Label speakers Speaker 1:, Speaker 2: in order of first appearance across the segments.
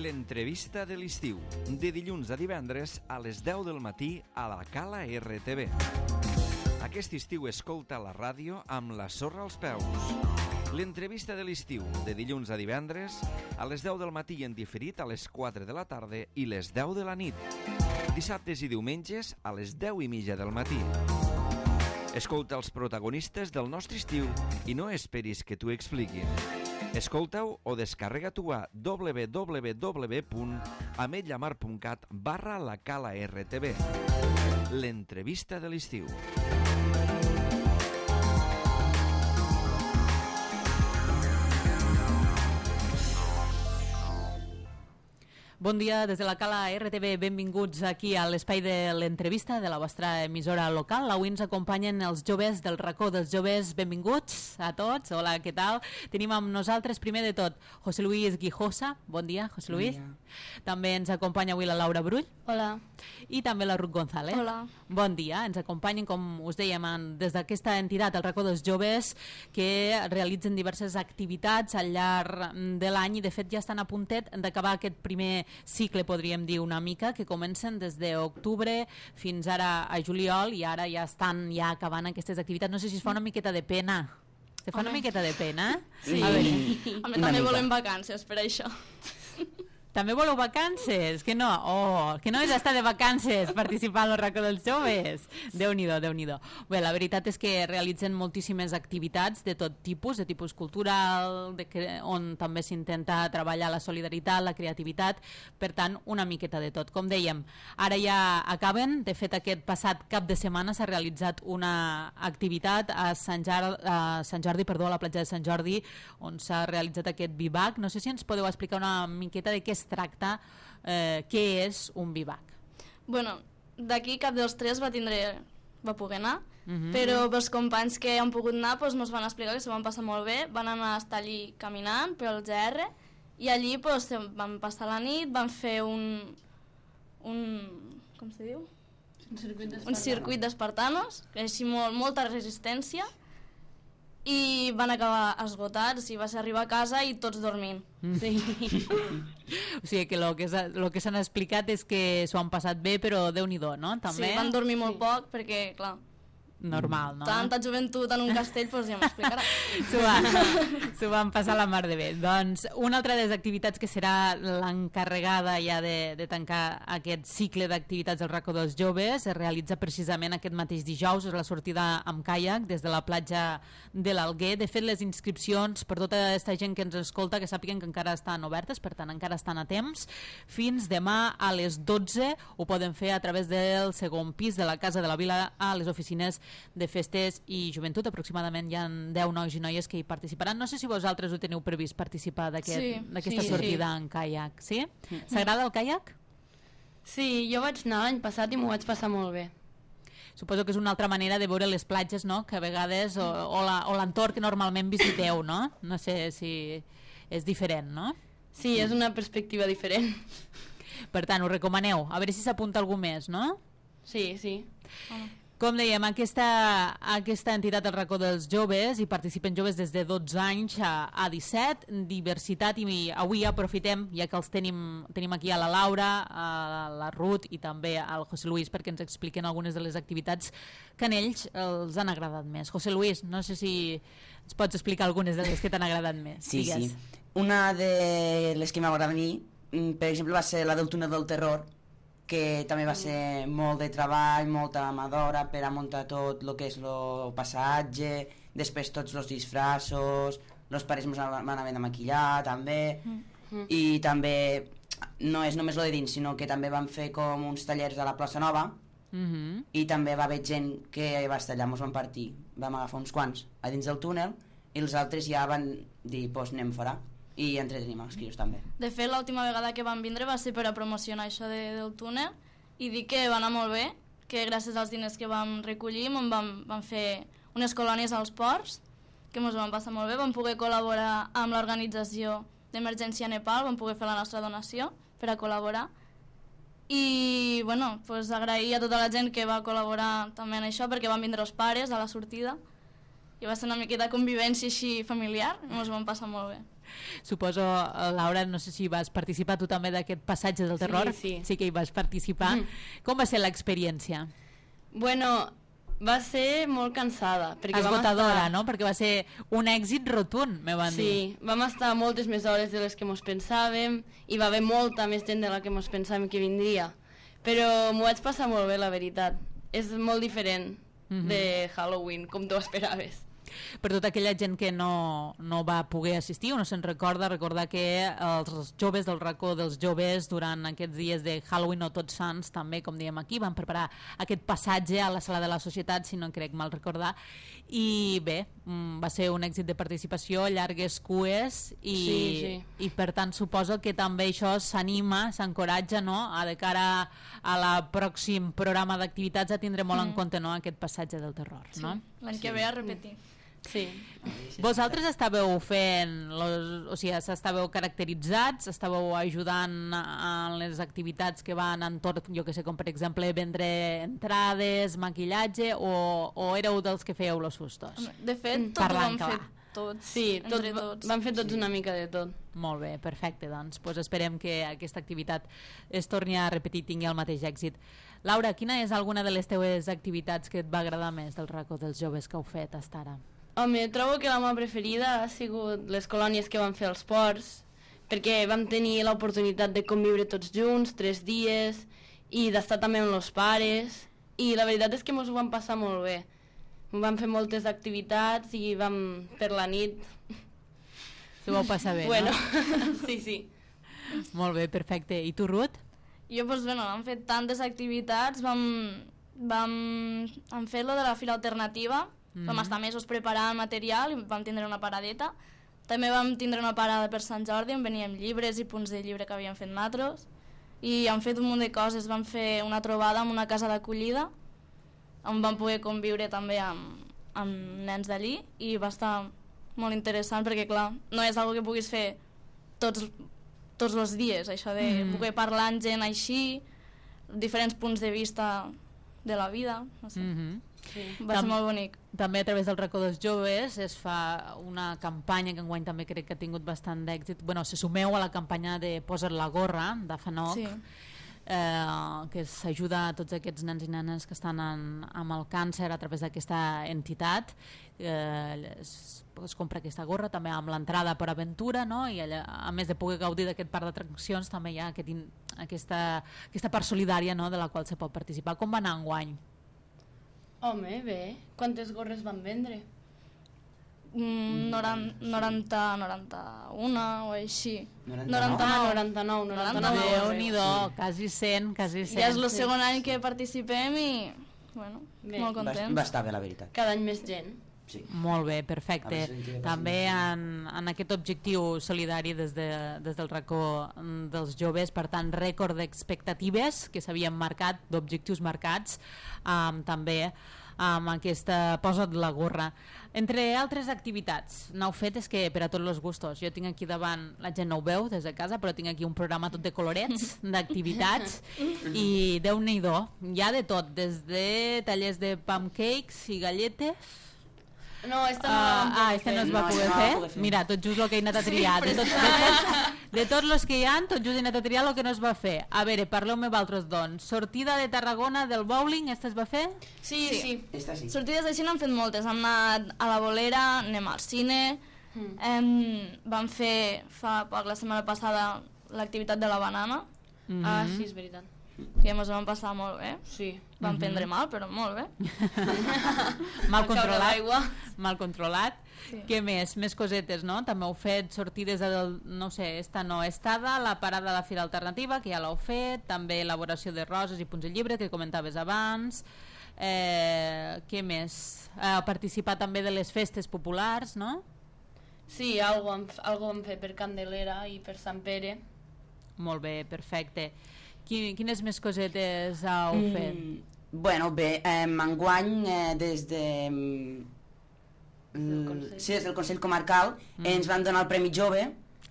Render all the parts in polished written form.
Speaker 1: L'entrevista de l'estiu, de dilluns a divendres a les 10 del matí a la Cala RTV. Aquest estiu escolta la ràdio amb la sorra als peus. L'entrevista de l'estiu, de dilluns a divendres a les 10 del matí en diferit a les 4 de la tarda i les 10 de la nit. Dissabtes i diumenges a les 10:30 del matí. Escolta els protagonistes del nostre estiu i no esperis que t'ho expliquin. Escolta-ho o descarrega-t'ho a www.ametlllamar.cat/la Cala RTV. L'entrevista de l'estiu.
Speaker 2: Bon dia des de la Cala RTV, benvinguts aquí a l'espai de l'entrevista de la vostra emissora local. Avui ens acompanyen els joves del racó dels joves, benvinguts a tots, hola, què tal? Tenim amb nosaltres, primer de tot, José Luis Guijosa, bon dia, José Luis. Bon dia. També ens acompanya avui la Laura Brull.
Speaker 3: Hola.
Speaker 2: I també la Ruth González.
Speaker 3: Hola.
Speaker 2: Bon dia, ens acompanyen, com us dèiem, des d'aquesta entitat, el racó dels joves, que realitzen diverses activitats al llarg de l'any i de fet ja estan a puntet d'acabar aquest primer cicle, podríem dir una mica, que comencen des d'octubre fins ara a juliol i ara ja estan acabant aquestes activitats. No sé si es fa una miqueta de pena. Se fa una miqueta de pena?
Speaker 3: Sí.
Speaker 2: A veure.
Speaker 3: També volem vacances per això.
Speaker 2: També voleu vacances? Que no? Oh, que no és estar de vacances participar al racó dels joves? Déu-n'hi-do, Déu-n'hi-do. Bé, la veritat és que realitzen moltíssimes activitats de tot tipus, de tipus cultural, on també s'intenta treballar la solidaritat, la creativitat, per tant, una miqueta de tot. Com dèiem, ara ja acaben, de fet aquest passat cap de setmana s'ha realitzat una activitat a Sant Jordi, a la platja de Sant Jordi, on s'ha realitzat aquest vivac. No sé si ens podeu explicar una miqueta de què es tracta, què és un vivac.
Speaker 3: Bueno, d'aquí cap dels tres va poder anar, però els companys que han pogut anar ens van explicar que s'ho van passar molt bé, van anar a estar allí caminant pel GR i allí van passar la nit, van fer un com se diu? Un circuit d'espartanos, així molta resistència, i van acabar esgotats i va ser arribar a casa i tots dormint. Sí.
Speaker 2: O sigui que el que s'han explicat és que s'ho han passat bé, però Déu-n'hi-do, no? També?
Speaker 3: Sí, van dormir molt poc perquè, clar,
Speaker 2: normal, no?
Speaker 3: Tanta joventut en un castell, ja m'explicarà.
Speaker 2: S'ho van passar la mar de bé. Doncs una altra de les activitats que serà l'encarregada ja de tancar aquest cicle d'activitats del racó dels joves es realitza precisament aquest mateix dijous, és la sortida amb caiac des de la platja de l'Alguer. De fet, les inscripcions per tota aquesta gent que ens escolta, que sàpiguen que encara estan obertes, per tant encara estan a temps, fins demà a les 12 ho poden fer a través del segon pis de la Casa de la Vila a les oficines de festes i joventut. Aproximadament hi ha 10 nois i noies que hi participaran. No sé si vosaltres ho teniu previst participar d'aquesta sortida en caiac. Sí? S'agrada el caiac?
Speaker 4: Sí, jo vaig anar l'any passat i m'ho vaig passar molt bé.
Speaker 2: Suposo que és una altra manera de veure les platges, no? Que a vegades, o l'entorn que normalment visiteu, no? No sé si és diferent, no?
Speaker 4: Sí, és una perspectiva diferent.
Speaker 2: Per tant, ho recomaneu. A veure si s'apunta algú més, no?
Speaker 4: Sí, sí.
Speaker 2: Com dèiem, aquesta entitat, el racó dels joves, hi participen joves des de 12 anys a 17, diversitat, i avui aprofitem, ja que els tenim aquí a la Laura, a la Ruth i també al José Luis, perquè ens expliquen algunes de les activitats que a ells els han agradat més. José Luis, no sé si ens pots explicar algunes de les que t'han agradat més.
Speaker 5: Sí, digues. Sí. Una de les que m'agrada a mi, per exemple, va ser la del túnel del terror, que també va ser molt de treball, molta mà d'hora per a muntar tot el que és el passatge, després tots els disfraços, els pares ens van haver de maquillar també, i també no és només lo de dins, sinó que també van fer com uns tallers a la plaça Nova, i també va haver gent que va estar allà, ens van partir, vam agafar uns quants a dins del túnel i els altres ja van dir, doncs anem fora, i entretenim els crios també.
Speaker 3: De fet, l'última vegada que van vindre va ser per a promocionar això del túnel i dir que va anar molt bé, que gràcies als diners que vam recollir vam fer unes colònies als ports, que ens van passar molt bé, vam poder col·laborar amb l'organització d'Emergència Nepal, vam poder fer la nostra donació per a col·laborar i bueno, pues agrair a tota la gent que va col·laborar també en això, perquè van vindre els pares a la sortida i va ser una miqueta convivència així familiar i ens ho vam passar molt bé.
Speaker 2: Suposo, Laura, no sé si vas participar tu també d'aquest passatge del terror.
Speaker 4: Sí
Speaker 2: que hi vas participar. Com va ser l'experiència?
Speaker 4: Bueno, va ser molt cansada.
Speaker 2: Esgotadora, no? Perquè va ser un èxit rotund, me van dir.
Speaker 4: Sí, vam estar moltes més hores de les que mos pensàvem i va haver molta més gent de la que mos pensàvem que vindria. Però m'ho vaig passar molt bé, la veritat. És molt diferent de Halloween, com tu esperaves.
Speaker 2: Per tota aquella gent que no va poder assistir o no se'n recordar que els joves del racó dels joves durant aquests dies de Halloween o Tots Sants també, com diem aquí, van preparar aquest passatge a la sala de la societat, si no em crec mal recordar, i bé, va ser un èxit de participació, llargues cues i per tant suposo que també això s'anima, s'encoratja, no? De cara a la pròxim programa d'activitats a tindre molt en compte, no? Aquest passatge del terror, no?
Speaker 3: L'any que ve a repetir.
Speaker 4: Sí.
Speaker 2: Vosaltres estàveu fent, o sigui, estàveu caracteritzats, estàveu ajudant en les activitats que van entorn, jo que sé, com per exemple vendre entrades, maquillatge, o éreu dels que fèieu los sustos?
Speaker 3: De fet, tot ho vam fer tots.
Speaker 4: Sí, vam fer tots una mica de tot.
Speaker 2: Molt bé, perfecte, doncs esperem que aquesta activitat es torni a repetir i tingui el mateix èxit. Laura, quina és alguna de les teves activitats que et va agradar més del racó dels joves que heu fet fins ara?
Speaker 4: Home, trobo que la meva preferida ha sigut les colònies que van fer als ports, perquè vam tenir l'oportunitat de conviure tots junts 3 dies i d'estar també amb els pares, i la veritat és que ens ho vam passar molt bé. Vam fer moltes activitats i vam per la nit...
Speaker 2: S'ho vau passar bé,
Speaker 4: bueno,
Speaker 2: no?
Speaker 4: Sí.
Speaker 2: Molt bé, perfecte. I tu, Ruth?
Speaker 3: Jo, doncs, bueno, hem fet tantes activitats, vam fer lo de la fira alternativa, vam estar mesos preparant material i vam tindre una paradeta. També vam tindre una parada per Sant Jordi on veníem llibres i punts de llibre que havíem fet nosaltres, i hem fet un munt de coses. Vam fer una trobada en una casa d'acollida on vam poder conviure també amb nens d'allí i va estar molt interessant perquè, clar, no és una que puguis fer tots els dies, això de poder parlar amb gent així, diferents punts de vista de la vida, no sé. Va ser molt bonic.
Speaker 2: També a través del racó dels joves es fa una campanya que enguany també crec que ha tingut bastant d'èxit. Bueno, se sumeu a la campanya de Posa't la gorra, de FANOC, que s'ajuda a tots aquests nens i nenes que estan amb el càncer a través d'aquesta entitat. Es compra aquesta gorra també amb l'entrada per aventura, no? I allà, a més de poder gaudir d'aquest parc d'atraccions, també hi ha aquesta part solidària, no? De la qual se pot participar. Com va anar enguany?
Speaker 4: Home, bé. Quantes gorres van vendre?
Speaker 3: 90, 91 o així.
Speaker 4: 99.
Speaker 2: Déu-n'hi-do, quasi 100.
Speaker 3: Ja és el segon any que participem i, bueno, molt contents.
Speaker 5: Va estar bé, la veritat.
Speaker 4: Cada any més gent.
Speaker 5: Sí.
Speaker 2: Molt bé, perfecte. També en aquest objectiu solidari des del racó dels joves, per tant, rècord d'expectatives que s'havien marcat, d'objectius marcats, també amb aquesta Posa't la gorra. Entre altres activitats, n'heu fet és que per a tots els gustos. Jo tinc aquí davant, la gent no ho veu des de casa, però tinc aquí un programa tot de colorets, d'activitats, i Déu-n'hi-do, hi ha de tot, des de tallers de pancakes i galletes.
Speaker 4: No, esta no
Speaker 2: es va poder fer. Mira, tot just el que he anat a triar. De tots els que hi ha, tot just he anat a triar el que no es va fer. A veure, parleu-me vosaltres, doncs. Sortida de Tarragona del bowling, esta es va fer?
Speaker 3: Sí.
Speaker 5: Esta sí.
Speaker 3: Sortides així n'hem fet moltes. Hem anat a la Bolera, anem al cine, vam fer fa poc, la setmana passada, l'activitat de la banana.
Speaker 4: Ah, sí, és veritat.
Speaker 3: Que ens ho vam passar molt bé.
Speaker 4: Sí.
Speaker 3: Vam prendre mal, però molt bé.
Speaker 2: Mal controlat. Sí. Què més? Més cosetes, no? També heu fet sortides no sé, estada, la parada de la Fira Alternativa, que ja l'heu fet, també elaboració de roses i punts de llibre, que comentaves abans. Què més? Participar també de les festes populars, no?
Speaker 4: Sí, algo vam fer per Candelera i per Sant Pere.
Speaker 2: Molt bé, perfecte. Quines més cosetes heu fet?
Speaker 5: Bueno, bé, enguany des de... Sí, des del Consell Comarcal ens van donar el Premi Jove.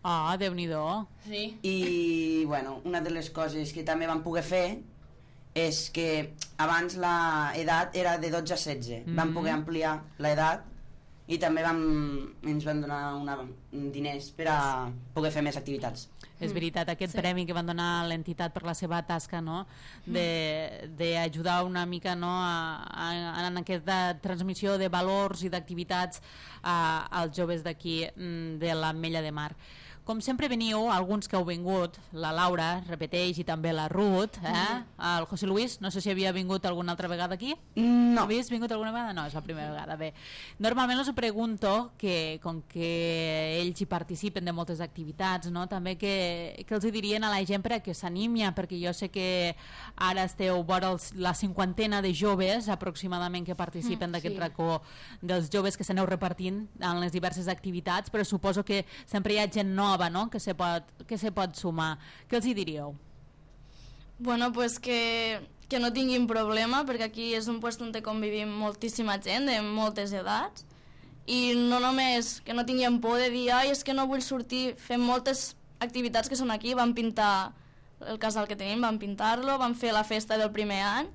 Speaker 2: Ah, Déu-n'hi-do.
Speaker 4: Sí.
Speaker 5: I, bueno, una de les coses que també vam poder fer és que abans l'edat era de 12 a 16. Vam poder ampliar l'edat i també ens van donar diners per a poder fer més activitats.
Speaker 2: És veritat, aquest premi que van donar a l'entitat per la seva tasca, no? d'ajudar una mica, no? en aquesta transmissió de valors i d'activitats als joves d'aquí de l'Ametlla de Mar. Com sempre veniu, alguns que heu vingut, la Laura repeteix i també la Ruth, el José Luis, no sé si havia vingut alguna altra vegada aquí.
Speaker 5: No.
Speaker 2: Havies vingut alguna vegada? No, és la primera vegada. Bé, normalment us pregunto que com que ells hi participen de moltes activitats, no? També que els dirien a la gent per a que s'animia, perquè jo sé que ara esteu vora la 50ena de joves aproximadament que participen d'aquest racó dels joves que s'aneu repartint en les diverses activitats, però suposo que sempre hi ha gent nova, no? que se pot sumar. Què els hi diríeu?
Speaker 3: Bueno, pues que no tinguin problema, perquè aquí és un lloc on convivim moltíssima gent de moltes edats, i no només que no tinguin por de dir és que no vull sortir. Fem moltes activitats que són aquí. Vam pintar el casal que tenim, vam pintar-lo, vam fer la festa del primer any.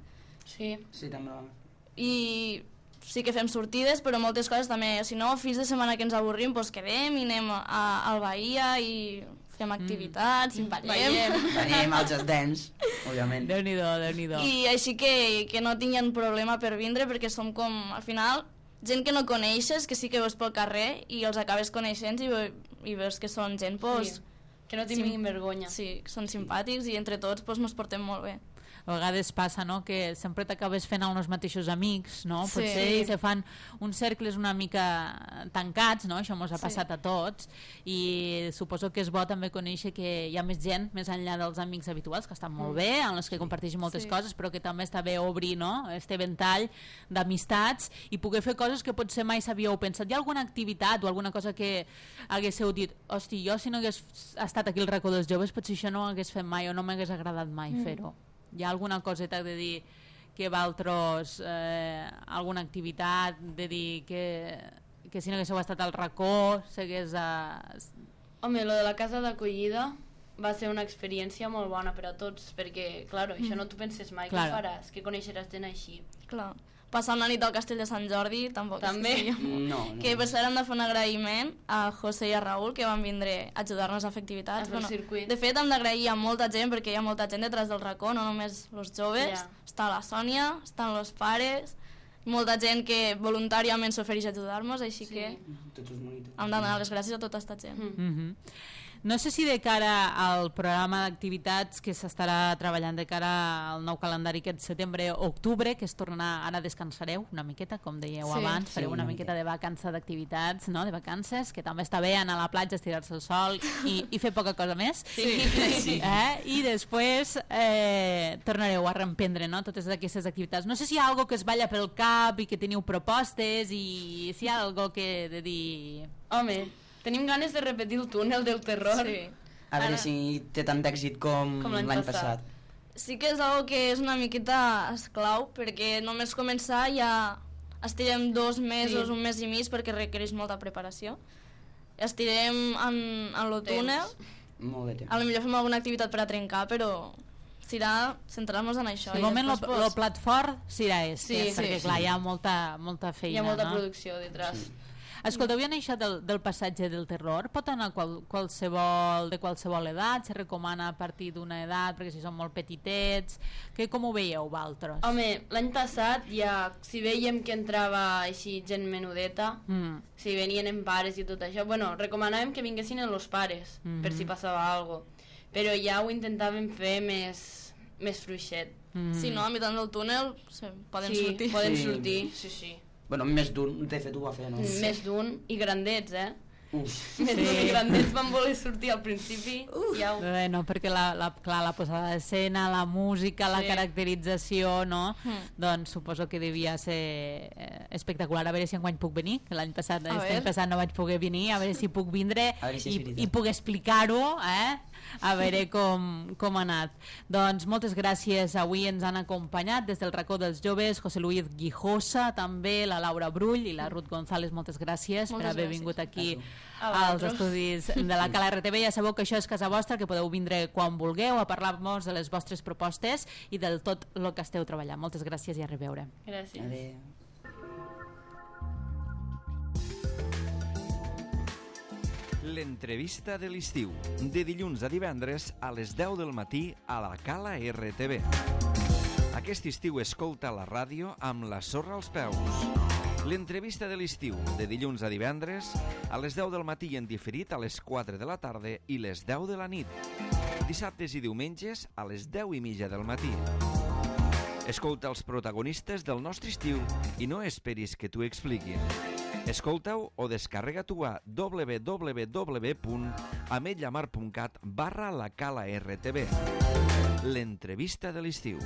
Speaker 4: Sí,
Speaker 5: també vam.
Speaker 3: I sí que fem sortides, però moltes coses també. Si no, fins de setmana que ens avorrim, doncs quedem i anem al Bahia i fem activitats, i ballem.
Speaker 5: Ballem als dents, òbviament.
Speaker 2: Déu-n'hi-do, Déu-n'hi-do.
Speaker 3: I així que no tinguin problema per vindre, perquè som com, al final, gent que no coneixes, que sí que veus pel carrer i els acabes coneixent i veus que són gent, doncs...
Speaker 4: Sí. Que no tinguin vergonya.
Speaker 3: Sí, que són simpàtics i entre tots doncs, ens portem molt bé.
Speaker 2: A vegades passa, no?, que sempre t'acabes fent els mateixos amics, no?
Speaker 3: Sí.
Speaker 2: Potser se fan uns cercles una mica tancats, no? Això ens ha passat a tots, i suposo que és bo també conèixer que hi ha més gent més enllà dels amics habituals, que estan molt bé, en els que comparteixen moltes coses, però que també està bé obrir, no?, este ventall d'amistats i poder fer coses que potser mai s'havíeu pensat. Hi ha alguna activitat o alguna cosa que haguéssiu dit, hosti, jo si no hagués estat aquí al racó dels joves potser això no ho hagués fet mai o no m'hagués agradat mai fer-ho? Hi ha alguna coseta de dir que valtros, alguna activitat, de dir que si no haguéssiu estat al racó s'hagués...
Speaker 4: Home, lo de la casa d'acollida va ser una experiència molt bona per a tots, perquè, clar, això no t'ho penses mai,
Speaker 2: Claro.
Speaker 4: que faràs, que coneixeràs gent així.
Speaker 3: Clar. Passar una nit al castell de Sant Jordi tampoc.
Speaker 4: També.
Speaker 5: No.
Speaker 3: Que per cert hem de fer un agraïment a José i a Raül, que van vindre a ajudar-nos a fer activitats.
Speaker 4: A fer el circuit.
Speaker 3: De fet, hem d'agrair a molta gent, perquè hi ha molta gent detrás del racó, no només els joves.
Speaker 4: Ja.
Speaker 3: Està la Sònia, estan els pares, molta gent que voluntàriament s'ofereix a ajudar-nos, així que
Speaker 5: Tots els monitors.
Speaker 3: hem de donar les gràcies a tota aquesta gent.
Speaker 2: No sé si de cara al programa d'activitats que s'estarà treballant de cara al nou calendari aquest setembre-octubre, que es tornarà, ara descansareu una miqueta, com dèieu abans, fareu una miqueta de vacança d'activitats, no?, de vacances, que també està bé anar a la platja, estirar-se al sol i fer poca cosa més.
Speaker 5: Sí.
Speaker 2: I després tornareu a reemprendre, no?, totes aquestes activitats. No sé si hi ha alguna que es balla pel cap i que teniu propostes i si hi ha alguna que de dir...
Speaker 4: Home, tenim ganes de repetir el túnel del terror.
Speaker 3: Sí.
Speaker 5: A veure si té tant d'èxit com
Speaker 4: l'any
Speaker 5: l'any
Speaker 4: passat.
Speaker 5: passat.
Speaker 3: Sí que és algo que és una miqueta esclau, perquè només començar ja estirem 2 mesos, un mes i mig, perquè requereix molta preparació. Estirem en lo túnel,
Speaker 5: Molt de temps.
Speaker 3: a lo millor fem alguna activitat per a trencar, però serà centrar-nos en això.
Speaker 2: De moment el plat fort serà este,
Speaker 3: Sí,
Speaker 2: perquè
Speaker 3: sí.
Speaker 2: clar, hi ha molta feina,
Speaker 4: Hi ha molta
Speaker 2: no?
Speaker 4: producció detrás.
Speaker 5: Sí.
Speaker 2: Escolteu, hi ha això del passatge del terror? Pot anar de qualsevol edat? Se recomana a partir d'una edat, perquè si són molt petitets? Com ho veieu, vosaltres?
Speaker 4: Home, l'any passat ja, si veiem que entrava així gent menudeta, si venien en pares i tot això, bueno, recomanàvem que vinguessin els pares, per si passava alguna cosa. Però ja ho intentàvem fer més fluixet.
Speaker 3: Si no, a mitjà del túnel poden
Speaker 4: Sí,
Speaker 3: sortir.
Speaker 4: poden
Speaker 5: Sí.
Speaker 4: sortir, sí.
Speaker 5: Bueno, més d'un, de fet ho va fer, no?
Speaker 4: Més d'un, i grandets,
Speaker 5: Uf.
Speaker 4: Més d'un i grandets van voler sortir al principi. Ja ho...
Speaker 2: No, perquè la posada d'escena, la música, la caracterització, no? Doncs suposo que devia ser espectacular. A veure si enguany puc venir, que l'any passat no vaig poder venir, a veure si puc vindre i puc explicar-ho, a veure com ha anat. Doncs moltes gràcies. Avui ens han acompanyat des del racó dels joves José Luis Guijosa, també la Laura Brull i la Ruth González. Moltes gràcies per haver vingut aquí als estudis de la Cala RTV. Ja sabeu que això és casa vostra, que podeu vindre quan vulgueu a parlar-nos de les vostres propostes i del tot el que esteu treballant. Moltes gràcies i a reveure.
Speaker 4: Gràcies.
Speaker 5: Adéu.
Speaker 1: L'entrevista de l'estiu, de dilluns a divendres a les 10 del matí a la Cala RTV. Aquest estiu escolta la ràdio amb la sorra als peus. L'entrevista de l'estiu, de dilluns a divendres a les 10 del matí en diferit a les 4 de la tarda i les 10 de la nit. Dissabtes i diumenges a les 10:30 del matí. Escolta els protagonistes del nostre estiu i no esperis que t'ho expliquin. Escolta-ho o descarrega-t'ho a www.ametlllamar.cat/la Cala RTV. L'entrevista de l'estiu.